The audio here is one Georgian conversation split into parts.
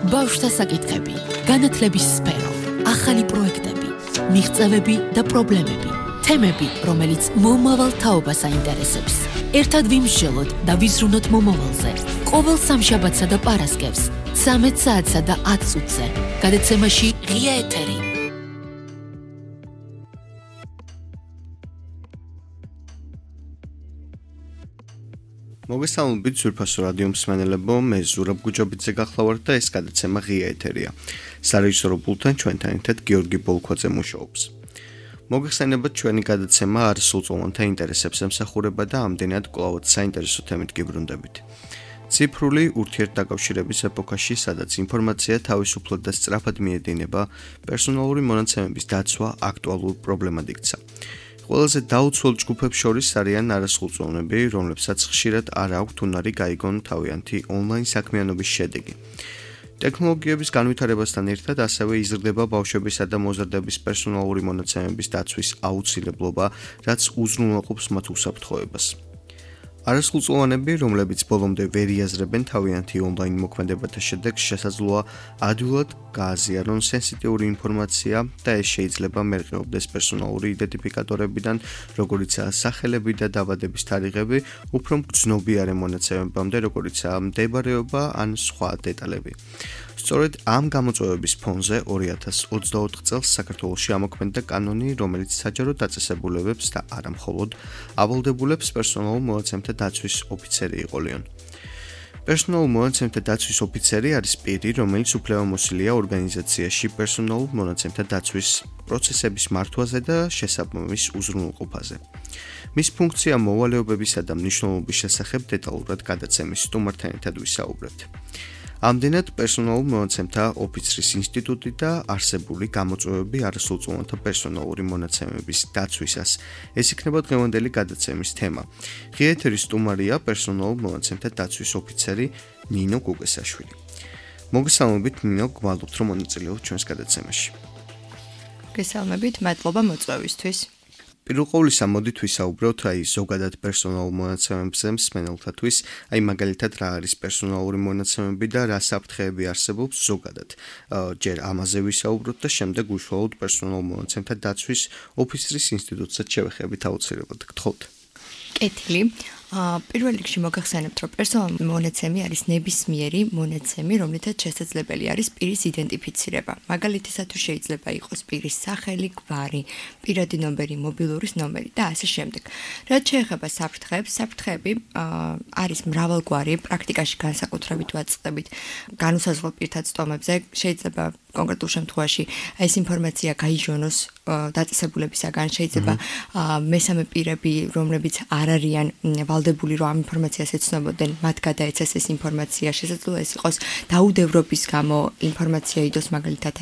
ბავშვთა საკითხები, განათლების სფერო, ახალი პროექტები, მიღწევები და პრობლემები, თემები, რომელიც მომავალ თაობას აინტერესებს. ერთად ვიმსჯელოთ და ვიზრუნოთ მომავალზე. ყოველ სამშაბათსა და პარასკევს, 13 საათსა და 10 წუთზე. გადაცემაში ღია ეთერი. მოგესალმებით ძვირფასო რადიო მსმენელებო, მე ზურაბ გუჯობიძე გახლავართ და ეს გადაცემა ღია ეთერია. სარეჟისორო პულტთან ჩვენთან ერთად გიორგი ბოლქვაძე მუშაობს. მოგეხსენებათ ჩვენი გადაცემა არასრულწლოვანთა ინტერესებს ემსახურება და ამდენად კვლავად საინტერესო თემით გიბრუნდებით. ციფრული ურთიერთდაკავშირების ეპოქაში, სადაც ინფორმაცია თავისუფლად და სწრაფად მიედინება, პერსონალური მონაცემების დაცვა აქტუალურ პრობლემად იქცა. ყველაზე დაუცველ ჯგუფებს შორის არიან არასრულწლოვნები, რომლებსაც ხშირად არ აქვთ უნარი გაიგონ თავიანთი ონლაინ საქმიანობის შედეგი. ტექნოლოგიების განვითარებასთან ერთად ასევე იზრდება ბავშვებისა და მოზარდების პერსონალური მონაცემების დაცვის აუცილებლობა, რაც უზრუნველყოფს მათ უსაფრთხოებას. არასრულწლოვანები, რომლებიც ბოლომდე ვერ იაზრებენ თავიანთი ონლაინ მოქმედებათა შედეგს, შესაძლოა ადვილად გააზიარონ სენსიტიური ინფორმაცია და ეს შეიძლება მერყეობდეს პერსონალური იდენტიფიკატორებიდან, როგორიცაა სახელები და დაბადების თარიღები, უფრო მგრძნობიარე მონაცემებამდე, როგორიცაა მდებარეობა ან სხვა დეტალები. სწორედ ამ გამოწვევების ფონზე 2024 წელს საქართველოში ამოქმედდა კანონი, რომელიც საჯარო დაწესებულებებს და არა მხოლოდ ავალდებულებს პერსონალურ მონაცემთა დაცვის ოფიცერი იყოლიონ. პერსონალურ მონაცემთა დაცვის ოფიცერი არის პირი, რომელიც უფლებამოსილია ორგანიზაციაში პერსონალურ მონაცემთა დაცვის პროცესების მართვაზე და შესაბამის უზრუნველყოფაზე. მის ფუნქცია მოვალეობებისა და მნიშვნელობის შესახებ დეტალურად გადაცემის სტუმართან ერთად ვისაუბრებთ. ამდენად პერსონალურ მონაცემთა ოფიცრის ინსტიტუტი და არსებული გამოწვევები არასრულწლოვანთა პერსონალური მონაცემების დაცვისას. ეს იქნება დღევანდელი გადაცემის თემა. ღია ეთერის სტუმარია პერსონალურ მონაცემთა დაცვის ოფიცერი ნინო გუგესაშვილი. მოგესალმებით ნინო, გვალობთ რომ მონაწილეობთ ჩვენს გადაცემაში. მოგესალმებით, მადლობა მოწვევისთვის. პირველ ყოვლისა მოდით ვისაუბროთ ზოგადად პერსონალურ მონაცემებზე მსმენელთათვის, მაგალითად რა არის პერსონალური მონაცემები და რა საფრთხეები არსებობს ზოგადად. ჯერ ამაზე ვისაუბროთ და შემდეგ უშუალოდ პერსონალურ მონაცემთა დაცვის ოფიცრის ინსტიტუტსაც შევეხებით აუცილებლად. გთხოვთ. კეთილი. პირველ რიგში მოგახსენებთ, რომ პერსონალური მონაცემი არის ნებისმიერი მონაცემი, რომლითაც შესაძლებელი არის პირის იდენტიფიცირება. მაგალითისათვის შეიძლება იყოს პირის სახელი, გვარი, პირადი ნომერი, მობილურის ნომერი და ასე შემდეგ. რაც შეეხება საფრთხეებს, საფრთხეები არის მრავალგვარი, პრაქტიკაში განსაკუთრებით ვაწყდებით განუსაზღვრელ პირთა წტომებზე. შეიძლება კონკრეტულ შემთხვევაში ეს ინფორმაცია გაიჟონოს დაწესებულებისაგან, შეიძლება მესამე პირები, რომლებიც არ არიან ვალდებული, რომ ამ ინფორმაციას ეცნობოდნენ, მათ გადაეცეს ეს ინფორმაცია, შესაძლოა ეს იყოს დაუდევრობის გამო ინფორმაცია იდოს, მაგალითად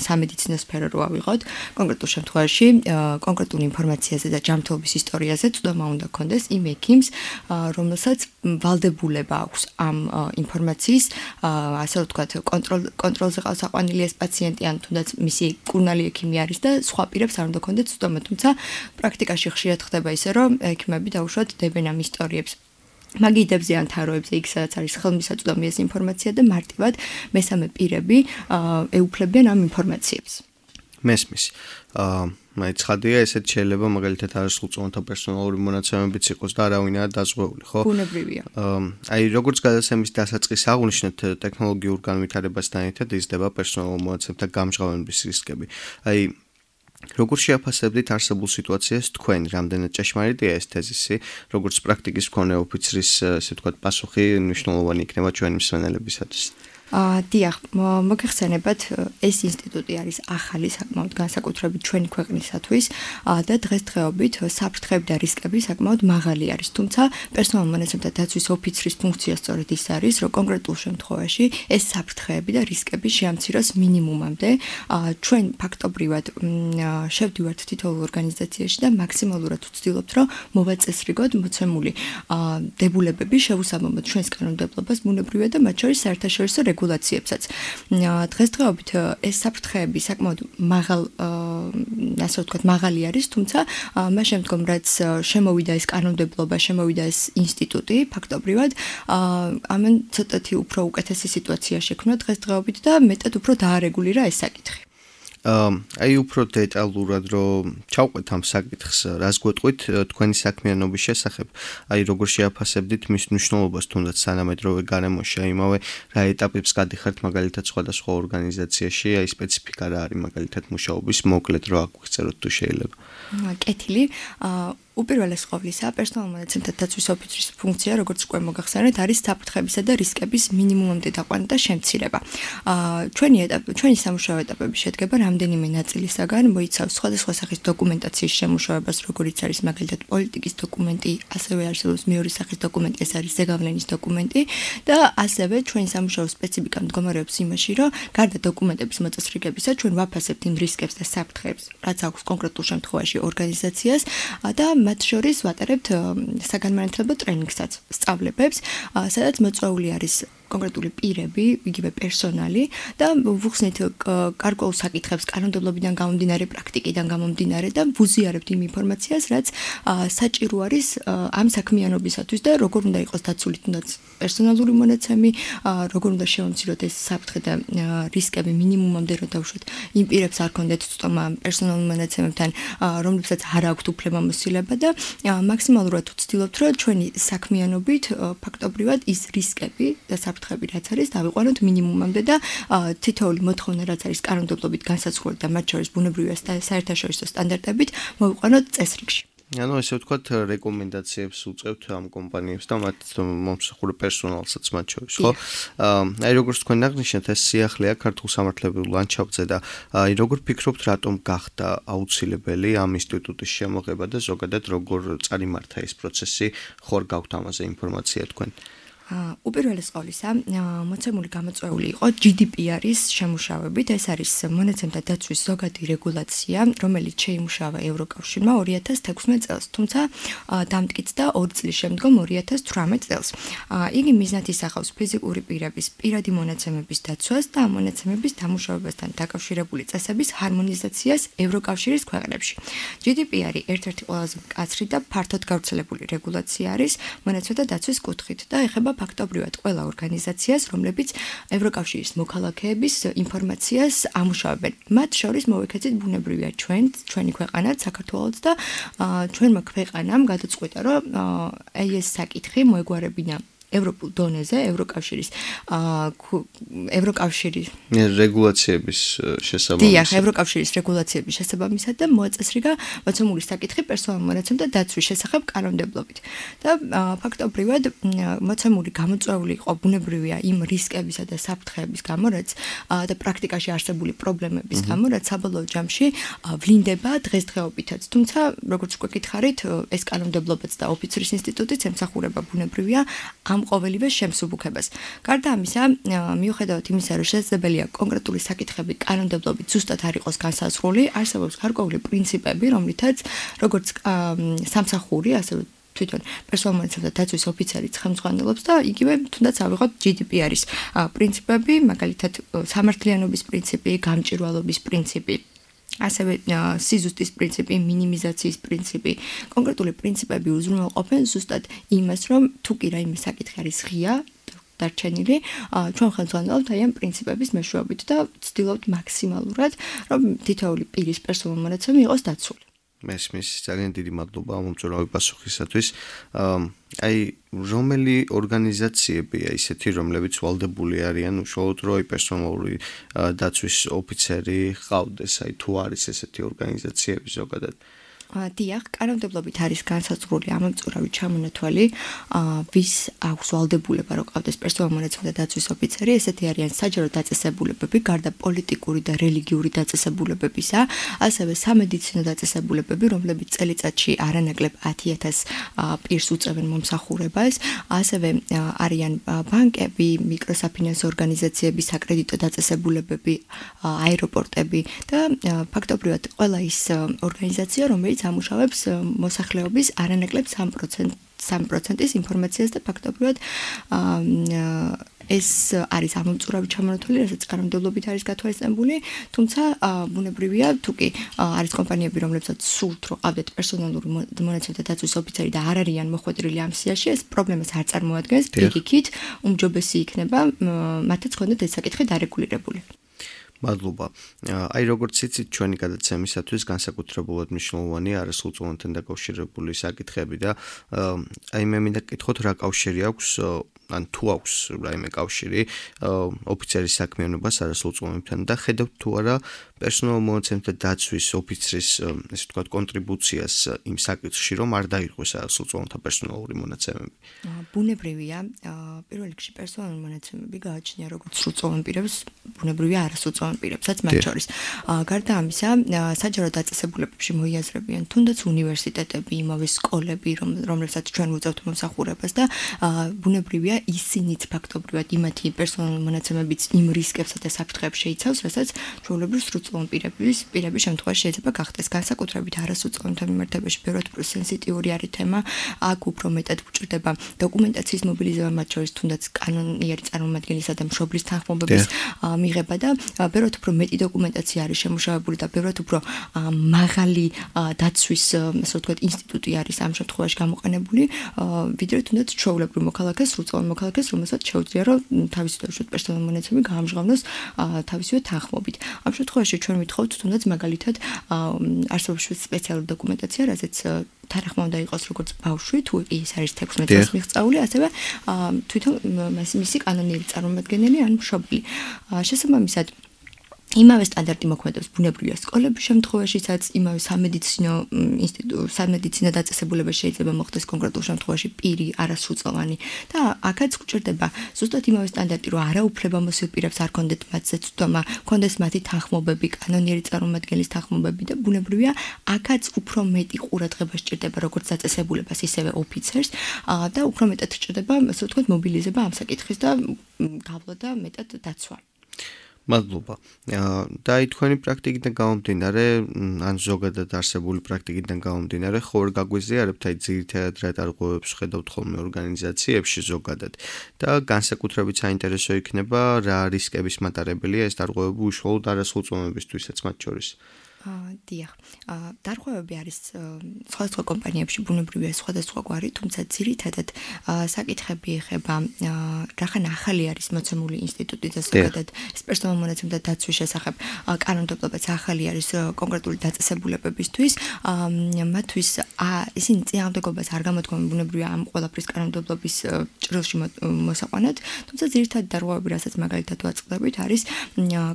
სამედიცინო სფერო რო ავიღოთ, კონკრეტულ შემთხვევაში კონკრეტულ ინფორმაციაზე და ჯანმრთელობის ისტორიაზე წვდომა უნდა ქონდეს იმ ექიმს, რომელსაც ვალდებულება აქვს ამ ინფორმაციის, ასე ვთქვათ, კონტროლზე ყავს აყვანილი ეს პაციენტი, ან თუნდაც მისი კურნალი ექიმი არის და სხვა პირებს არ უნდა ქონდეთ წვდომა, თუმცა პრაქტიკაში ხშირად ხდება ისე, რომ ექიმები დაუშვათ დებენ ამ ისტორიებს მაგიდებზე ან თაროებზე, იქ სადაც არის ხელმისაწვდომი ეს ინფორმაცია და მარტივად მესამე პირები ეუფლებიან ამ ინფორმაციებს. მესმის. ცხადია, ესეც შეიძლება მაგალითად არასრულწლოვანთა პერსონალური მონაცემებიც იყოს და არავინაა დაზღვეული, ხო? ბუნებრივია. როგორც გადაცემის დასაწყისს აღვნიშნეთ, ტექნოლოგიურ განვითარებასთან ერთად იზრდება პერსონალურ მონაცემთა გამჟღავნების რისკები. როგორ შეაფასებდით არსებულ სიტუაციას თქვენ, რამდენად ჭეშმარიტია ეს თეზისი, როგორც პრაქტიკის მქონე ოფიცრის, ასე ვთქვათ, პასუხი მნიშვნელოვანი იქნება ჩვენი მსმენელებისათვის? დიახ, მოგეხსენებათ, ეს ინსტიტუტი არის ახალი საკმაოდ განსაკუთრებით ჩვენი ქვეყნისათვის და დღესდღეობით საფრთხეები და რისკები საკმაოდ მაღალი არის. თუმცა პერსონალურ მონაცემთა დაცვის ოფიცრის ფუნქცია სწორედ ის არის, რომ კონკრეტულ შემთხვევაში ეს საფრთხეები და რისკები შეამციროს მინიმუმამდე. ჩვენ ფაქტობრივად შევდივართ თითოეულ ორგანიზაციაში და მაქსიმალურად ვცდილობთ, რომ მოვაწესრიგოთ მოცემული დებულებები, შევუსაბამოთ ჩვენს კანონმდებლობას, ბუნებრივია და მათ შორის საერთაშორისო რეგულაციებსაც. დღესდღეობით ეს საფრთხეები საკმაოდ მაღალი არის, თუმცა მას შემდგომ რაც შემოვიდა ეს კანონმდებლობა, შემოვიდა ეს ინსტიტუტი, ფაქტობრივად ამან ცოტათი უფრო უკეთესი სიტუაცია შექმნა დღესდღეობით და მეტად უფრო დაარეგულირა ეს საკითხი. აი უფრო დეტალურად რომ ჩავყვეთ ამ საკითხს, რას გვეტყვით თქვენი საქმიანობის შესახებ, აი როგორ შეაფასებდით მის მნიშვნელობას თუნდაც თანამედროვე გარემოში, იმავე რა ეტაპებს გადიხართ მაგალითად სხვადასხვა ორგანიზაციაში, აი სპეციფიკა რა არის მაგალითად მუშაობის, მოკლედ რა აგვიწეროთ თუ შეიძლება. კეთილი, უპირველეს ყოვლისა, პერსონალურ მონაცემთა დაცვის ოფიცრის ფუნქცია, როგორც უკვე მოგახსენეთ, არის საფრთხებისა და რისკების მინიმუმამდე დაყვანა და შემცირება. ჩვენი სამუშაო ეტაპები შედგება რამდენიმე ნაწილისაგან, მოიცავს სხვადასხვა სახის დოკუმენტაციის შემუშავებას, როგორიც არის მაგალითად პოლიტიკის დოკუმენტი, ასევე არსებობს მეორე სახის დოკუმენტი, ეს არის ზეგავლენის დოკუმენტი და ასევე ჩვენი სამუშაო სპეციფიკა მდგომარეობს იმაში, რომ გარდა დოკუმენტების მოწესრიგებისა, ჩვენ ვაფასებთ იმ რისკებს და საფრთხეებს, რაც აქვს კონკრეტულ შემთხვევაში ორგანიზაციას და მათ შორის ვატარებთ საგანმანათლებლო ტრენინგსაც, სწავლებებს, სადაც მოწვეული არის კონკრეტული პირები, იგივე პერსონალი და ვუხსნით გარკვეულ საკითხებს კანონმდებლობიდან გამომდინარე, პრაქტიკიდან გამომდინარე და ვუზიარებთ იმ ინფორმაციას, რაც საჭირო არის ამ საქმიანობისათვის და როგორ უნდა იყოს დაცული თუნდაც პერსონალური მონაცემი, როგორ უნდა შევამციროთ ეს საფრთხე და რისკები მინიმუმამდე რომ დავუშვათ იმ პირებს არ კონდეთ ცდომა პერსონალურ მონაცემებთან, რომლებსაც არ აქვთ უფლებამოსილება და მაქსიმალურად ვცდილობთ, რომ ჩვენი საქმიანობით ფაქტობრივად ის რისკები და საფრთხები რაც არის დავიყვანოთ მინიმუმამდე და თითოეული მოთხოვნა რაც არის კანონმდებლობით განსაზღვრული და მათ შორის ბუნებრივია საერთაშორისო სტანდარტებით მოვიყვანოთ წესრიგში. ანუ ესე ვთქვათ რეკომენდაციებს უწევთ ამ კომპანიებს და მათ მომსახურე პერსონალსაც მათ შორის, ხო? აი როგორც თქვენ აღნიშნეთ, ეს სიახლეა ქართულ სამართლებრივ ლანდშაფტზე და აი როგორ ფიქრობთ, რატომ გახდა აუცილებელი ამ ინსტიტუტის შემოღება და ზოგადად როგორ წარიმართა ეს პროცესი, ხوار გაქვთ ამაზე ინფორმაცია თქვენ? უპირველეს ყოვლისა, მოცემული გამოწვეული იყო GDPR-ის შემუშავებით. ეს არის მონაცემთა დაცვის ზოგადი რეგულაცია, რომელიც შეიმუშავა ევროკავშირმა 2016 წელს, თუმცა დამტკიცდა 2 წლის შემდგომ 2018 წელს. იგი მიზნად ისახავს ფიზიკური პირების პირადი მონაცემების დაცვას და ამ მონაცემების დამუშავებასთან დაკავშირებული წესების ჰარმონიზაციას ევროკავშირის ქვეყნებში. GDPR-ი ერთ-ერთი ყველაზე მკაცრი და ფართოდ გავრცელებული რეგულაცია არის მონაცემთა დაცვის კუთხით და ეხება ფაქტობრივად ყველა ორგანიზაციას, რომლებიც ევროკავშირის მოქალაქეების ინფორმაციას ამუშავებენ. მათ შორის მოვიქეცით ბუნებრივია ჩვენი ქვეყანაც, საქართველოც და ჩვენმა ქვეყანამ გადაწყვიტა, რომ ეს საკითხი მოეგვარებინა ევროპულ დონეზე, ევროკავშირის რეგულაციების შესაბამისად. დიახ, ევროკავშირის რეგულაციების შესაბამისად და მოაწესრიგა მოცემული საკითხი პერსონალურ მონაცემთა დაცვის შესახებ კანონმდებლობით. და ფაქტობრივად მოცემული გამოწვეული იყო ბუნებრივია იმ რისკებისა და საფრთხეების გამო, რაც და პრაქტიკაში არსებული პრობლემების გამო, რაც საბოლოო ჯამში ვლინდება დღესდღეობითაც. თუმცა, როგორც უკვე გითხარით, ეს კანონმდებლობაც და ოფიცრის ინსტიტუტიც ემსახურება ბუნებრივია ამ ყოველივე შემსუბუქებას. გარდა ამისა, მიუხედავად იმისა, რომ შესაძლებელია კონკრეტული საკითხები კანონმდებლობით ზუსტად არ იყოს განსაზღვრული, არსებობს გარკვეული პრინციპები, რომლითაც როგორც სამსახური, ასევე თვითონ პერსონალურ მონაცემთა დაცვის ოფიცერი ხელმძღვანელობს და იგივე თუნდაც ავიღოთ GDPR-ის პრინციპები, მაგალითად სამართლიანობის პრინციპი, გამჭვირვალობის პრინციპი. ასევე სიზუსტის პრინციპი, მინიმიზაციის პრინციპი, კონკრეტული პრინციპები უზრუნველყოფენ ზუსტად იმას, რომ თუ კი რაიმე საკითხი არის ღია, დარჩენილი, ჩვენ ხელმძღვანელობთ აი ამ პრინციპების მეშვეობით და ვცდილობთ მაქსიმალურად, რომ თითოეული პირის პერსონალური მონაცემი იყოს დაცული. მესმის, ძალიან დიდი მადლობა ამ მომწვრავი პასუხისათვის. აი რომელი ორგანიზაციებია ისეთი, რომლებიც ვალდებული არიან უშუალოდ რომ პერსონალური დაცვის ოფიცერი ყავდეს, აი თუ არის ესეთი ორგანიზაციები ზოგადად? დიახ, კანონმდებლობით არის განსაზღვრული ამომწურავი ჩამონათვალი, ვის აქვს ვალდებულება რომ ყავდეს პერსონალურ მონაცემთა დაცვის ოფიცერი, ესეთი არიან საჯარო დაწესებულებები, გარდა პოლიტიკური და რელიგიური დაწესებულებებისა, ასევე სამედიცინო დაწესებულებები, რომლებიც წელიწადში არანაკლებ 10,000 პირს უწევენ მომსახურებას, ასევე არიან ბანკები, მიკროსაფინანსო ორგანიზაციები, საკრედიტო დაწესებულებები, აეროპორტები და ფაქტობრივად ყველა ის ორგანიზაცია, რომელიც ამუშავებს მოსახლეობის არანაკლებ 3%-ის ინფორმაციას და ფაქტობრივად ეს არის ამომწურავი ჩამონათვალი, რასაც კანონმდებლობით არის გათვალისწინებული, თუმცა ბუნებრივია, თუ კი არის კომპანიები, რომლებსაც სურთ, რომ ყავდეთ პერსონალური მონაცემთა დაცვის ოფიცერი და არ არიან მოხვედრილი ამ სიაში, ეს პრობლემას არ წარმოადგენს, პირიქით, უმჯობესი იქნება მათაც ქონდეთ ეს საკითხი დარეგულირებული. მადლობა. Აი როგორც იცით, ჩვენი გადაცემისათვის განსაკუთრებულად მნიშვნელოვანია არასრულწლოვანთან დაკავშირებული საკითხები და აი მე მინდა გკითხოთ რა კავშირი აქვს ან თუ აქვს რაიმე კავშირი ოფიცერის საქმიანობას არასრულწლოვანებთან და ხედავთ თუ არა პერსონალურ მონაცემთა დაცვის ოფიცრის ესე ვთქვათ კონტრიბუციას იმ საკითხში რომ არ დაირღვეს არასრულწლოვანთა პერსონალური მონაცემები. ბუნებრივია, პირველ რიგში პერსონალური მონაცემები გააჩნია როგორც სრულწლოვან პირებს, ბუნებრივია არასრულწლოვან პირებსაც მათ შორის. გარდა ამისა, საჯარო დაწესებულებებში მოიაზრებიან თუნდაც უნივერსიტეტები, იმავე სკოლები, რომლებსაც ჩვენ ვუწევთ მომსახურებას და ბუნებრივია ისინიც ფაქტობრივად იმათი პერსონალური მონაცემებიც იმ რისკებსა და საფრთხეებს შეიცავს, რასაც ჩვეულებრივ სრულწლოვან პირების შემთხვევაში შეიძლება გახდეს. განსაკუთრებით არასრულწლოვანთა მიმართებაში ბევრად უფრო სენსიტიური არის თემა, აქ უფრო მეტად გვჭირდება დოკუმენტაციის მობილიზება, მათ შორის თუნდაც კანონიერი წარმომადგენლისა და მშობლის თანხმობების მიღება და ბევრად უფრო მეტი დოკუმენტაცია არის შემუშავებული და ბევრად უფრო მაღალი დაცვის, ასე ვთქვათ, ინსტიტუტი არის ამ შემთხვევაში გამოყენებული, ვიდრე თუნდაც ჩვეულებრივ მოქალაქეს, სრულწლოვან მოქალაქეს, რომელსაც შეუძლია რომ თავისი პერსონალური მონაცემები გაამჟღავნოს თავისივე თანხმობით. ამ შემთხვევაში ჩვენ ვითხოვთ თუნდაც მაგალითად არსებობს სპეციალური დოკუმენტაცია, რაზეც თანახმა უნდა იყოს როგორც ბავშვი, თუ ის არის 16 წლის მიღწეული, ასევე თვითონ მისი კანონიერი წარმომადგენელი ან მშობელი. შესაბამისად იმავე სტანდარტი მოქმედებს ბუნებრივია სკოლების შემთხვევაშიცაც, იმავე სამედიცინო დაწესებულებაში შეიძლება მოხდეს კონკრეტულ შემთხვევაში პირი არასრულწლოვანი და აქაც გვჭირდება ზუსტად იმავე სტანდარტი, რომ არაუფლებამოსილ პირებს არ კონდეთ მათზე ცდომა, კონდეს მათი თანხმობები, კანონიერი წარმომადგენლის თანხმობები და ბუნებრივია აქაც უფრო მეტი ყურადღება სჭირდება როგორც დაწესებულებას, ისევე ოფიცერს და უფრო მეტად სჭირდება, ასე ვთქვათ, მობილიზება ამ საკითხის და გავლა და მეტად დაცვა. მადლობა. და აი თქვენი პრაქტიკიდან გამომდინარე, ან ზოგადად არსებული პრაქტიკიდან გამომდინარე, ხო ვერ გაგვიზიარებთ აი ძირითადად რა დარღვევებს ხედავთ ხოლმე ორგანიზაციებში ზოგადად და განსაკუთრებით საინტერესო იქნება რა რისკების მატარებელია ეს დარღვევები უშუალოდ არასრულწლოვანებისთვისაც მათ შორის. დიახ. დარღვევები არის სხვადასხვა კომპანიებში ბუნებრივია სხვადასხვაგვარი, თუმცა ძირითადად საკითხები ეხება რახან ახალი არის მოცემული ინსტიტუტი და ზოგადად ეს პერსონალურ მონაცემთა დაცვის შესახებ კანონმდებლობაც ახალი არის კონკრეტული დაწესებულებებისთვის, მათთვის ისინი წინააღმდეგობას არ გამოთქვამენ ბუნებრივია ამ ყველაფრის კანონმდებლობის ჭრილში მოსაყვანად, თუმცა ძირითადად დარღვევები, რასაც მაგალითად ვაწყდებით, არის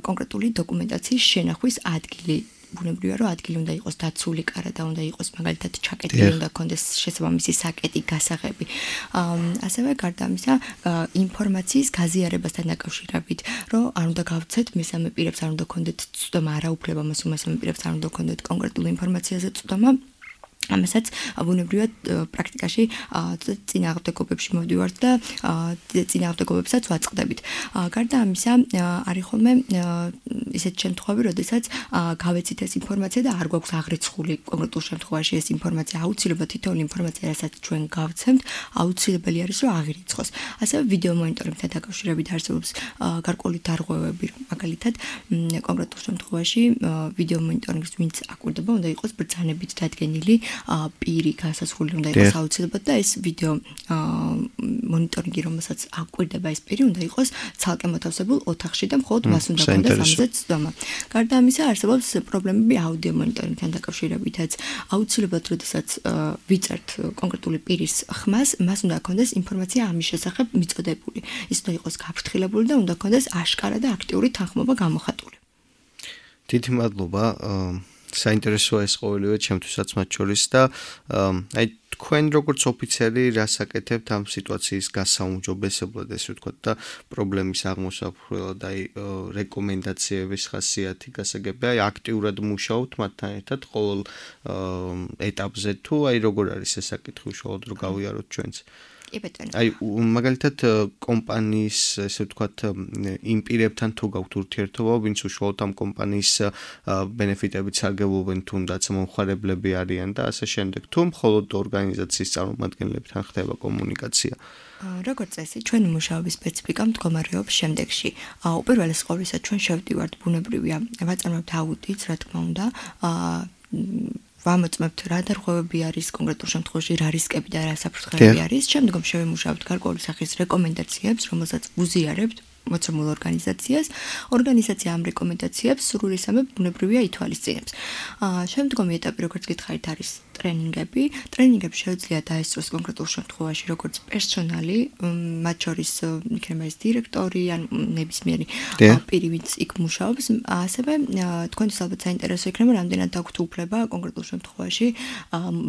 კონკრეტული დოკუმენტაციის შენახვის ადგილი. ბუნებრივია რომ ადგილი უნდა იყოს დაცული კარა და უნდა იყოს მაგალითად ჩაკეტილი, უნდა კონდეს შესაბამისი საკეტი, გასაღები. ასევე გარდა ამისა, ინფორმაციის გაზიარებასთან დაკავშირებით, რომ არ უნდა გავცეთ მესამე პირებს, არ უნდა კონდეთ ცდომა, არაუფლებამოსილ მესამე პირებს არ უნდა კონდეთ კონკრეტულ ინფორმაციაზე ცდომა. ამასაც ბუნებრივად პრაქტიკაში წინააღმდეგობებში მოვდივართ და წინააღმდეგობებსაც ვაწყდებით. გარდა ამისა, არის ხოლმე ისეთ შემთხვევები, როდესაც გავეცით ეს ინფორმაცია და არ გვაქვს აღრიცხული კონკრეტულ შემთხვევაში ეს ინფორმაცია, აუცილებლად თითოეული ინფორმაცია, რასაც ჩვენ გავცემთ, აუცილებელი არის, რომ აღირიცხოს. ასევე ვიდეო მონიტორინგთან დაკავშირებით არსებობს გარკვეული დარღვევები, მაგალითად, კონკრეტულ შემთხვევაში ვიდეო მონიტორინგს ვინც აკვირდება, უნდა იყოს ბრძანებით დადგენილი პირი გასასვლელი უნდა იყოს აუცილებლად და ეს ვიდეო მონიტორინგი, რომელსაც აკვირდება ეს პირი, უნდა იყოს ცალკე მოთავსებულ ოთახში და მხოლოდ მას უნდა კონდეს ამაზე ცდომა. გარდა ამისა, არსებობს პრობლემები აუდიო მონიტორინგთან დაკავშირებითაც. აუცილებლად, როდესაც ვიწერთ კონკრეტული პირის ხმას, მას უნდა კონდეს ინფორმაცია ამის შესახებ მიწოდებული. ის უნდა იყოს გაფრთხილებული და უნდა კონდეს აშკარა და აქტიური თანხმობა გამოხატული. დიდი მადლობა. საინტერესოა ეს ყოველივე ჩემთვისაც მათ შორის და აი თქვენ როგორც ოფიცერი რას აკეთებთ ამ სიტუაციის გასაუმჯობესებლად, ესე ვთქვათ და პრობლემის აღმოსაφრელად, აი რეკომენდაციების ხასიათი გასაგებია, აი აქტიურად მუშაობთ მათთან ერთად ყოველ ეტაპზე თუ აი როგორ არის ეს საკითხი უშუალოდ რომ გავიაროთ ჩვენც. კი ბატონო. აი მაგალითად კომპანიის ესე ვთქვათ იმ პირებთან თუ გაქვთ ურთიერთობა, ვინც უშუალოდ ამ კომპანიის ბენეფიტებით სარგებლობენ, თუნდაც მომხმარებლები არიან და ასე შემდეგ, თუ მხოლოდ ორგანიზაციის წარმომადგენლებთან ხდება კომუნიკაცია. როგორც წესი, ჩვენი მუშაობის სპეციფიკა მდგომარეობს შემდეგში. უპირველეს ყოვლისა, ჩვენ შევდივართ ბუნებრივია, ვაწარმოებთ აუდიტს, რა თქმა უნდა, ვამოწმებთ რა დარღვევები არის, კონკრეტულ შემთხვევაში რა რისკები და რა საფრთხეები არის. შემდგომ შევიმუშავებთ გარკვეული სახის რეკომენდაციებს, რომელსაც ვუზიარებთ მოცემულ ორგანიზაციას. ორგანიზაცია ამ რეკომენდაციებს სრულისამებრ ბუნებრივია ითვალისწინებს. შემდგომი ეტაპი, როგორც გითხარით, არის ტრენინგები. ტრენინგებს შეუძლია დაესწროს კონკრეტულ შემთხვევაში როგორც პერსონალი, მათ შორის იქნება ეს დირექტორი ან ნებისმიერი პირი, ვინც იქ მუშაობს. ასევე თქვენთვის ალბათ საინტერესო იქნება, რამდენად აქვთ უფლება კონკრეტულ შემთხვევაში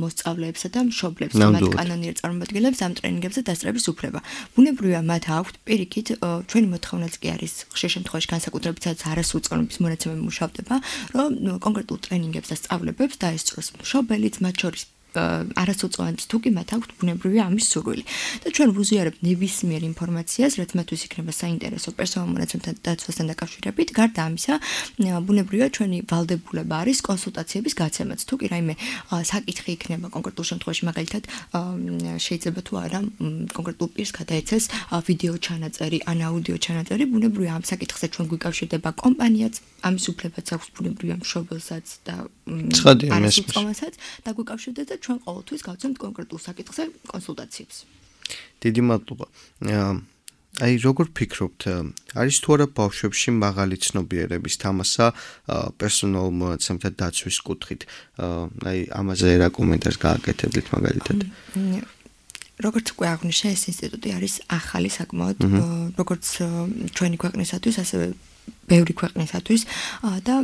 მოსწავლეებსა და მშობლებს, მათ კანონიერ წარმომადგენლებს ამ ტრენინგებზე დასწრების უფლება. ბუნებრივია მათ აქვთ პირიქით ჩვენი მოთხოვნაც კი არის ხშირ შემთხვევაში განსაკუთრებით სადაც არასრულწლოვანების მონაცემები მუშავდება, რომ კონკრეტულ ტრენინგებს და სწავლებებს დაესწროს მშობელიც, მათ შორის არასრულწლოვანს თუ კი მათ აქვთ ბუნებრივია ამის სურვილი. და ჩვენ ვუზიარებთ ნებისმიერ ინფორმაციას, რაც მათთვის იქნება საინტერესო პერსონალურ მონაცემთან დაცვასთან დაკავშირებით. გარდა ამისა, ბუნებრივია ჩვენი ვალდებულება არის კონსულტაციების გაცემაც. თუ კი რაიმე საკითხი იქნება კონკრეტულ შემთხვევაში, მაგალითად, შეიძლება თუ არა კონკრეტულ პირს გადაეცეს ვიდეო ჩანაწერი ან აუდიო ჩანაწერი, ბუნებრივია ამ საკითხზე ჩვენ გვიკავშირდება კომპანიაც, ამის უფლებაც აქვს ბუნებრივია მშობელსაც და არასრულწლოვანსაც და გვიკავშირდება და ჩვენ ყოველთვის გავცემთ კონკრეტულ საკითხზე კონსულტაციებს. დიდი მადლობა. აი როგორ ფიქრობთ, არის თუ არა ბავშვებში მაღალი ცნობიერების თამასა პერსონალურ მონაცემთა დაცვის კუთხით? აი ამაზე რა კომენტარს გააკეთებთ მაგალითად? როგორც უკვე აღნიშნე, ეს ინსტიტუტი არის ახალი საკმაოდ, როგორც ჩვენი ქვეყნისათვის, ასევე ბევრი ქვეყნისათვის და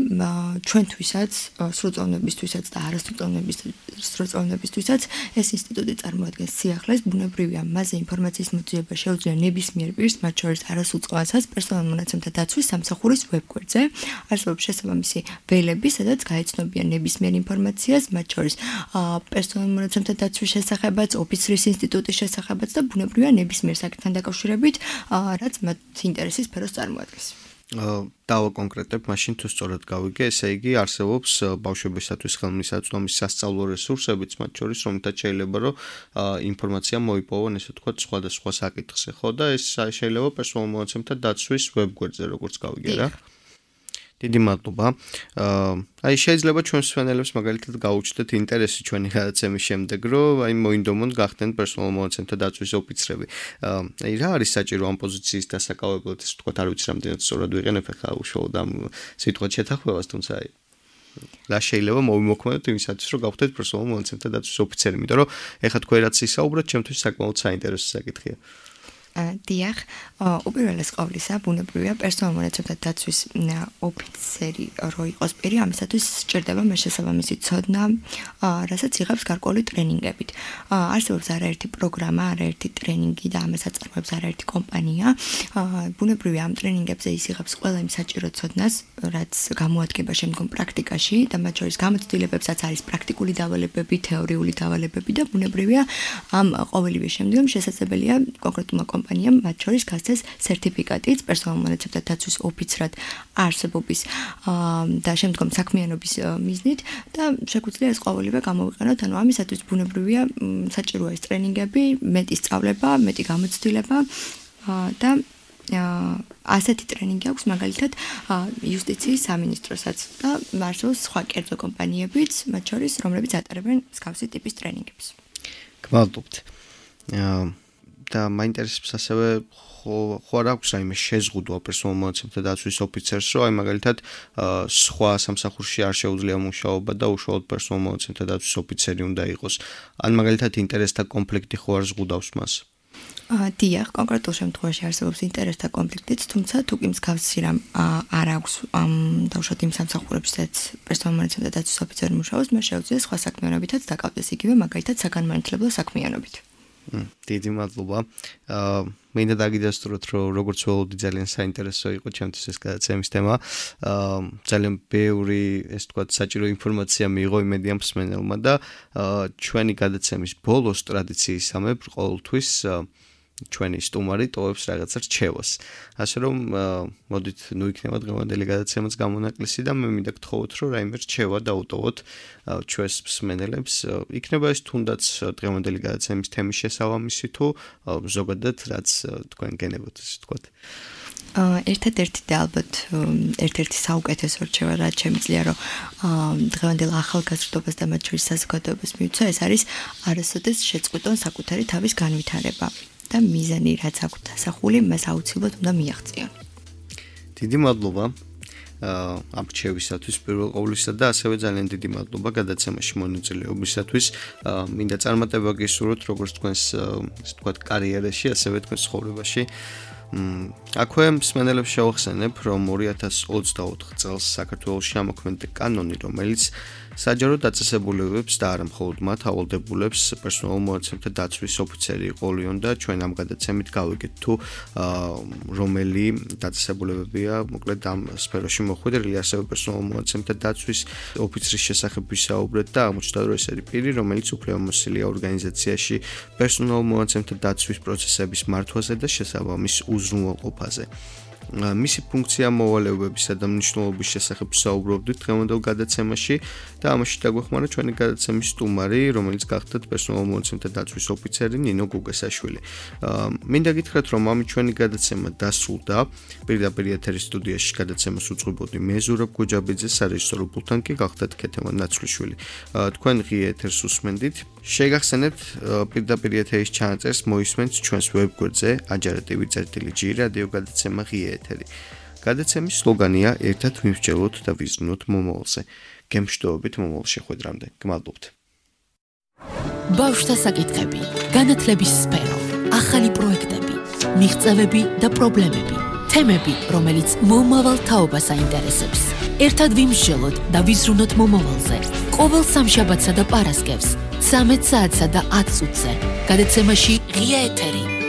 ჩვენთვისაც, სრულწლოვანებისთვისაც და არასრულწლოვანებისთვისაც ეს ინსტიტუტი წარმოადგენს სიახლეს. ბუნებრივია, მასზე ინფორმაციის მოძიება შეუძლია ნებისმიერ პირს, მათ შორის არასრულწლოვანსაც, პერსონალურ მონაცემთა დაცვის სამსახურის ვებგვერდზე. არსებობს შესაბამისი ველები, სადაც გაეცნობიან ნებისმიერ ინფორმაციას, მათ შორის პერსონალურ მონაცემთა დაცვის შესახებაც, ოფიცრის ინსტიტუტის შესახებაც და ბუნებრივია ნებისმიერ საკითხთან დაკავშირებით, რაც მათ ინტერესის სფეროს წარმოადგენს. დავაკონკრეტებ, მაშინ თუ სწორად გავიგე, ესე იგი არსებობს ბავშვებისათვის ხელმისაწვდომი სასწავლო რესურსებიც, მათ შორის რომელთაც შეიძლება რომ ინფორმაცია მოიპოვონ, ესე ვთქვათ, სხვადასხვა საკითხზე, ხო და ეს შეიძლება პერსონალურ მონაცემთა დაცვის ვებგვერდზე, როგორც გავიგე რა. დიდი მადლობა. აი შეიძლება ჩვენს მსმენელებს მაგალითად გაუჩნდეთ ინტერესი ჩვენი გადაცემის შემდეგ, რომ აი მოინდომონ გახდნენ პერსონალურ მონაცემთა დაცვის ოფიცრები. აი რა არის საჭირო ამ პოზიციის დასაკავებლად, ესე ვთქვათ, არ ვიცი რამდენად სწორად ვიყენებ ახლა უშუალოდ ამ სიტყვას შეთანხმებას, თუმცა აი რა შეიძლება მოვიმოქმედოთ იმისათვის, რომ გავხდეთ პერსონალურ მონაცემთა დაცვის ოფიცერი, იმიტომ რომ ეხლა თქვენ რაც ისაუბრეთ, ჩემთვის საკმაოდ საინტერესო საკითხია. დიახ, უპირველეს ყოვლისა, ბუნებრივია პერსონალურ მონაცემთა დაცვის ოფიცერი რო იყოს პირი, ამისათვის სჭირდება შესაბამისი ცოდნა, რასაც იღებს გარკვეული ტრენინგებით. არსებობს არაერთი პროგრამა, არაერთი ტრენინგი და ამას აწარმოებს არაერთი კომპანია. ბუნებრივია, ამ ტრენინგებზე ის იღებს ყველა იმ საჭირო ცოდნას, რაც გამოადგება შემდგომ პრაქტიკაში და მათ შორის გამოცდილებებსაც არის პრაქტიკული დავალებები, თეორიული დავალებები და ბუნებრივია, ამ ყოველივე შემდგომ შესაძლებელია კონკრეტულმა კომპანიამ მათ შორის გასცეს სერტიფიკატიც პერსონალურ მონაცემთა დაცვის ოფიცრად არსებობის და შემდგომ საქმიანობის მიზნით და შეგვიძლია ეს ყოველივე გამოვიყენოთ. ანუ ამისათვის ბუნებრივია საჭიროა ეს ტრენინგები, მეტი სწავლება, მეტი გამოცდილება და ასეთი ტრენინგი აქვს მაგალითად იუსტიციის სამინისტროსაც და არსებობს სხვა კერძო კომპანიებიც, მათ შორის რომლებიც ატარებენ მსგავსი ტიპის ტრენინგებს. გმადლობთ. და მაინტერესებს ასევე ხო არ აქვს რაიმე შეზღუდვა პერსონალურ მონაცემთა დაცვის ოფიცერს, რომ აი მაგალითად სხვა სამსახურში არ შეუძლია მუშაობა და უშუალოდ პერსონალურ მონაცემთა დაცვის ოფიცერი უნდა იყოს. ან მაგალითად ინტერესთა კონფლიქტი ხო არ ზღუდავს მას? დიახ, კონკრეტულ შემთხვევაში არსებობს ინტერესთა კონფლიქტიც, თუმცა თუ კი მსგავსი რამ არ აქვს დაუშვათ იმ სამსახურებსაც პერსონალურ მონაცემთა დაცვის ოფიცერი მუშაობს, მას შეუძლია სხვა საქმიანობითაც დაკავდეს, იგივე მაგალითად საგანმანათლებლო საქმიანობით. დიდი მადლობა. მინდა დაგიდასტუროთ, რომ როგორც ველოდი ძალიან საინტერესო იყო ჩემთვის ეს გადაცემის თემა. ძალიან ბევრი, ეს თქვა, საჭირო ინფორმაცია მიიღო იმედია მსმენელმა და ჩვენი გადაცემის ბოლოს ტრადიციისამებრ ყოველთვის ჩვენი სტუმარი ტოვებს რაღაცა რჩევას. ასე რომ მოდით ნუ იქნება დღევანდელი გადაცემაც გამონაკლისი და მე მინდა გთხოვოთ, რომ რაიმე რჩევა დაუტოვოთ ჩვენს მსმენელებს. იქნება ეს თუნდაც დღევანდელი გადაცემის თემის შესაბამისი თუ ზოგადად რაც თქვენ გენებოთ, ასე ვთქვათ. ერთადერთი და ალბათ ერთ-ერთი საუკეთესო რჩევა, რაც შემიძლია, რომ დღევანდელ ახალგაზრდობას და მათ შორის საზოგადოებას მიუცვა, ეს არის არასოდეს შეწყვიტონ საკუთარი თავის განვითარება. და მიზანი რაც აქვს დასახული, მას აუცილებლად უნდა მიაღწიონ. დიდი მადლობა ამ რჩევისათვის პირველ ყოვლისა და ასევე ძალიან დიდი მადლობა გადაცემაში მონაწილეობისათვის. მინდა წარმატება გისურვოთ როგორც თქვენს, ასე ვთქვათ, კარიერაში, ასევე თქვენს ცხოვრებაში. აქვე მსმენელებს შევახსენებ, რომ 2024 წელს საქართველოში ამოქმედდა კანონი, რომელიც საჯარო დაწესებულებებს და არა მხოლოდ მათ ავალდებულებს პერსონალურ მონაცემთა დაცვის ოფიცერი იყოლიონ და ჩვენ ამ გადაცემით გავიგეთ თუ რომელი დაწესებულებებია მოკლედ ამ სფეროში მოხვედრილი, ასევე პერსონალურ მონაცემთა დაცვის ოფიცრის შესახებ ვისაუბრეთ და აღმოჩნდა, რომ ეს არის პირი, რომელიც უფლებამოსილია ორგანიზაციაში პერსონალურ მონაცემთა დაცვის პროცესების მართვაზე და შესაბამის უზრუნველყოფაზე. მისი ფუნქცია მოვალეობებისა და მნიშვნელობის შესახებ საუბრობდით დღევანდელ გადაცემაში და ამაში დაგვეხმარა ჩვენი გადაცემის სტუმარი, რომელიც გახდათ პერსონალურ მონაცემთა დაცვის ოფიცერი ნინო გუგესაშვილი. მინდა გითხრათ, რომ ამით ჩვენი გადაცემა დასრულდა. პირდაპირ ეთერის სტუდიაში გადაცემას უძღვებოდი მე ზურაბ გუჯაბიძე, სარეჟისორო პულტთან კი გახდათ ქეთევან ნაცვლიშვილი. თქვენ ღია ეთერს უსმენდით. შეგახსენებთ პირდაპირ ეთერის ჩანაწერს მოისმენთ ჩვენს ვებგვერდზე ajarativi.gi რადიო გადაცემა ღია ეთერი. გადაცემის სლოგანია ერთად მივსჯელოთ და ვიზრუნოთ მომავალზე. გემშვიდობებით მომავალ შეხვედრამდე. გმადლობთ. ბავშვთა საკითხები, განათლების სფერო, ახალი პროექტები, მიღწევები და პრობლემები, თემები, რომელიც მომავალ თაობას აინტერესებს. ერთად ვიმსჯელოთ და ვიზრუნოთ მომავალზე. ყოველ სამშაბათსა და პარასკევს 13 საათსა და 10 წუთზე. გადაცემაში ღია ეთერი.